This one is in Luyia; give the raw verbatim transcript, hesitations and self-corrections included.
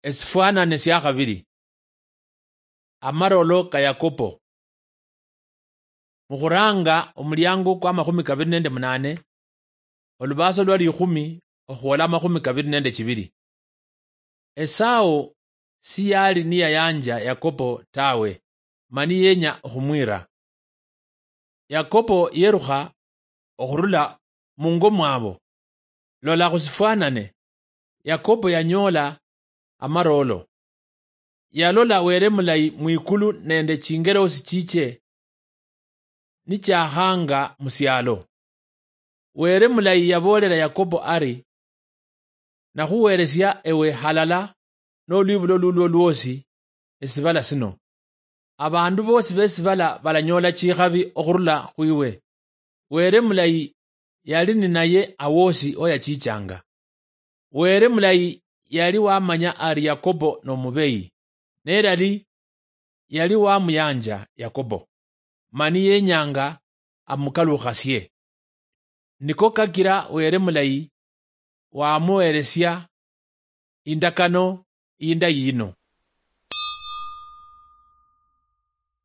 Esifwanane sia khabiri. Amarolo ka Yakobo. Mukhuranga omuliango kwa makhumi kabiri nende munane, olubaso lwa likhumi okhwola amakhumi kabiri nende chibiri. Esau siyali niyayanja Yakobo tawe, mani yenya okhumwira. Yakobo yerukha okhurula mungo mwabo. Lola khusifwanane, Yakobo yanyoola amaroolo. Yalola Wele Mulayi mwikulu nende chingelosi chiche nichakhanga musialo. Wele Mulayi yaboolela Yakobo ari, "Nakhuweelesia ewe halala nolwibulo lulwo lwosi esibala sino. Abandu boosi besibala balanyoola chikhabi okhurula khwiwe." Wele Mulayi yali ninaye awosi oyachichanga. Wele Mulayi yali wamanya ari Yakobo nomubeyi, nelali yali wamuyanja Yakobo, mani yenyanga amukalukhasie. Niko kakira Wele Mulayi wamuweelesia indakano indayi yino.